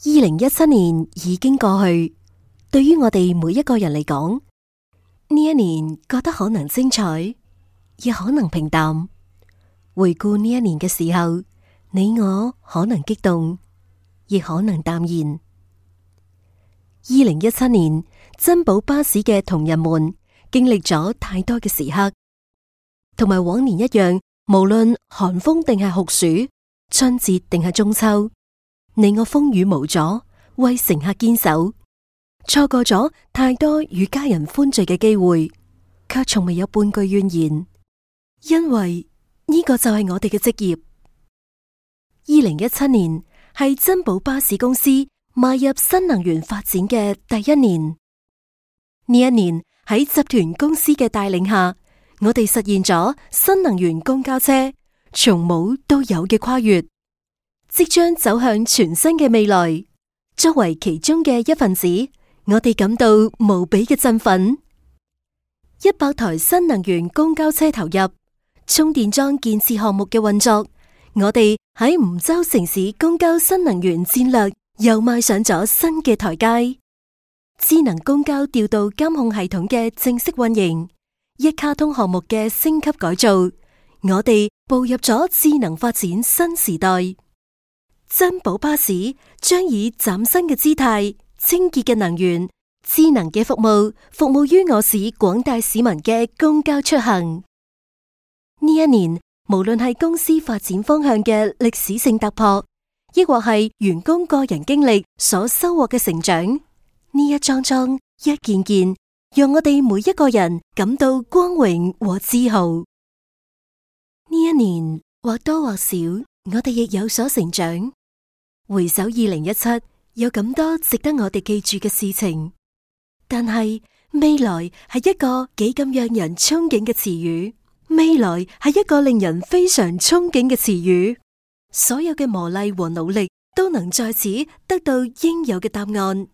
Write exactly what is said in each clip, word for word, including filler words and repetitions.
二零一七年已經過去，對於我哋每一個人嚟講，呢一年覺得可能精彩，亦可能平淡。回顧呢一年嘅時候，你我可能激動，亦可能淡然。二零一七年，珍寶巴士嘅同仁們經歷咗太多嘅時刻，同埋往年一樣，無論寒風定係酷暑，春節定係中秋，你我風雨無阻，為乘客堅守，錯過咗太多與家人歡聚嘅機會，卻從未有半句怨言，因為呢個就係我哋嘅職業。二零一七年係珍寶巴士公司邁入新能源發展嘅第一年。呢一年喺集團公司嘅帶領下，我哋實現咗新能源公交車從冇到有嘅跨越，即將走向全新嘅未來。作為其中嘅一份子，我哋感到無比嘅振奮。一百台新能源公交車投入，充電樁建設項目嘅運作，我哋喺梧州城市公交新能源戰略又邁上咗新嘅台階。智能公交調度監控系統嘅正式運營，一卡通項目嘅升級改造，我哋步入咗智能發展新時代。珍寶巴士將以嶄新嘅姿態、清潔嘅能源、智能嘅服務，服務於我市廣大市民嘅公交出行。呢一年，無論係公司發展方向嘅歷史性突破，亦或係員工個人經歷所收穫嘅成長，呢一樁樁、一件件，讓我哋每一個人感到光榮和自豪。呢一年，或多或少，我哋亦有所成長。回首二零一七，有咁多值得我哋記住嘅事情，但係未來係一個幾咁讓人憧憬嘅詞語。未來係一個令人非常憧憬嘅詞語。所有嘅磨礪和努力都能在此得到應有嘅答案。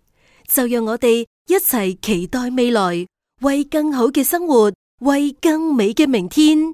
就讓我哋一齊期待未來，為更好嘅生活，為更美嘅明天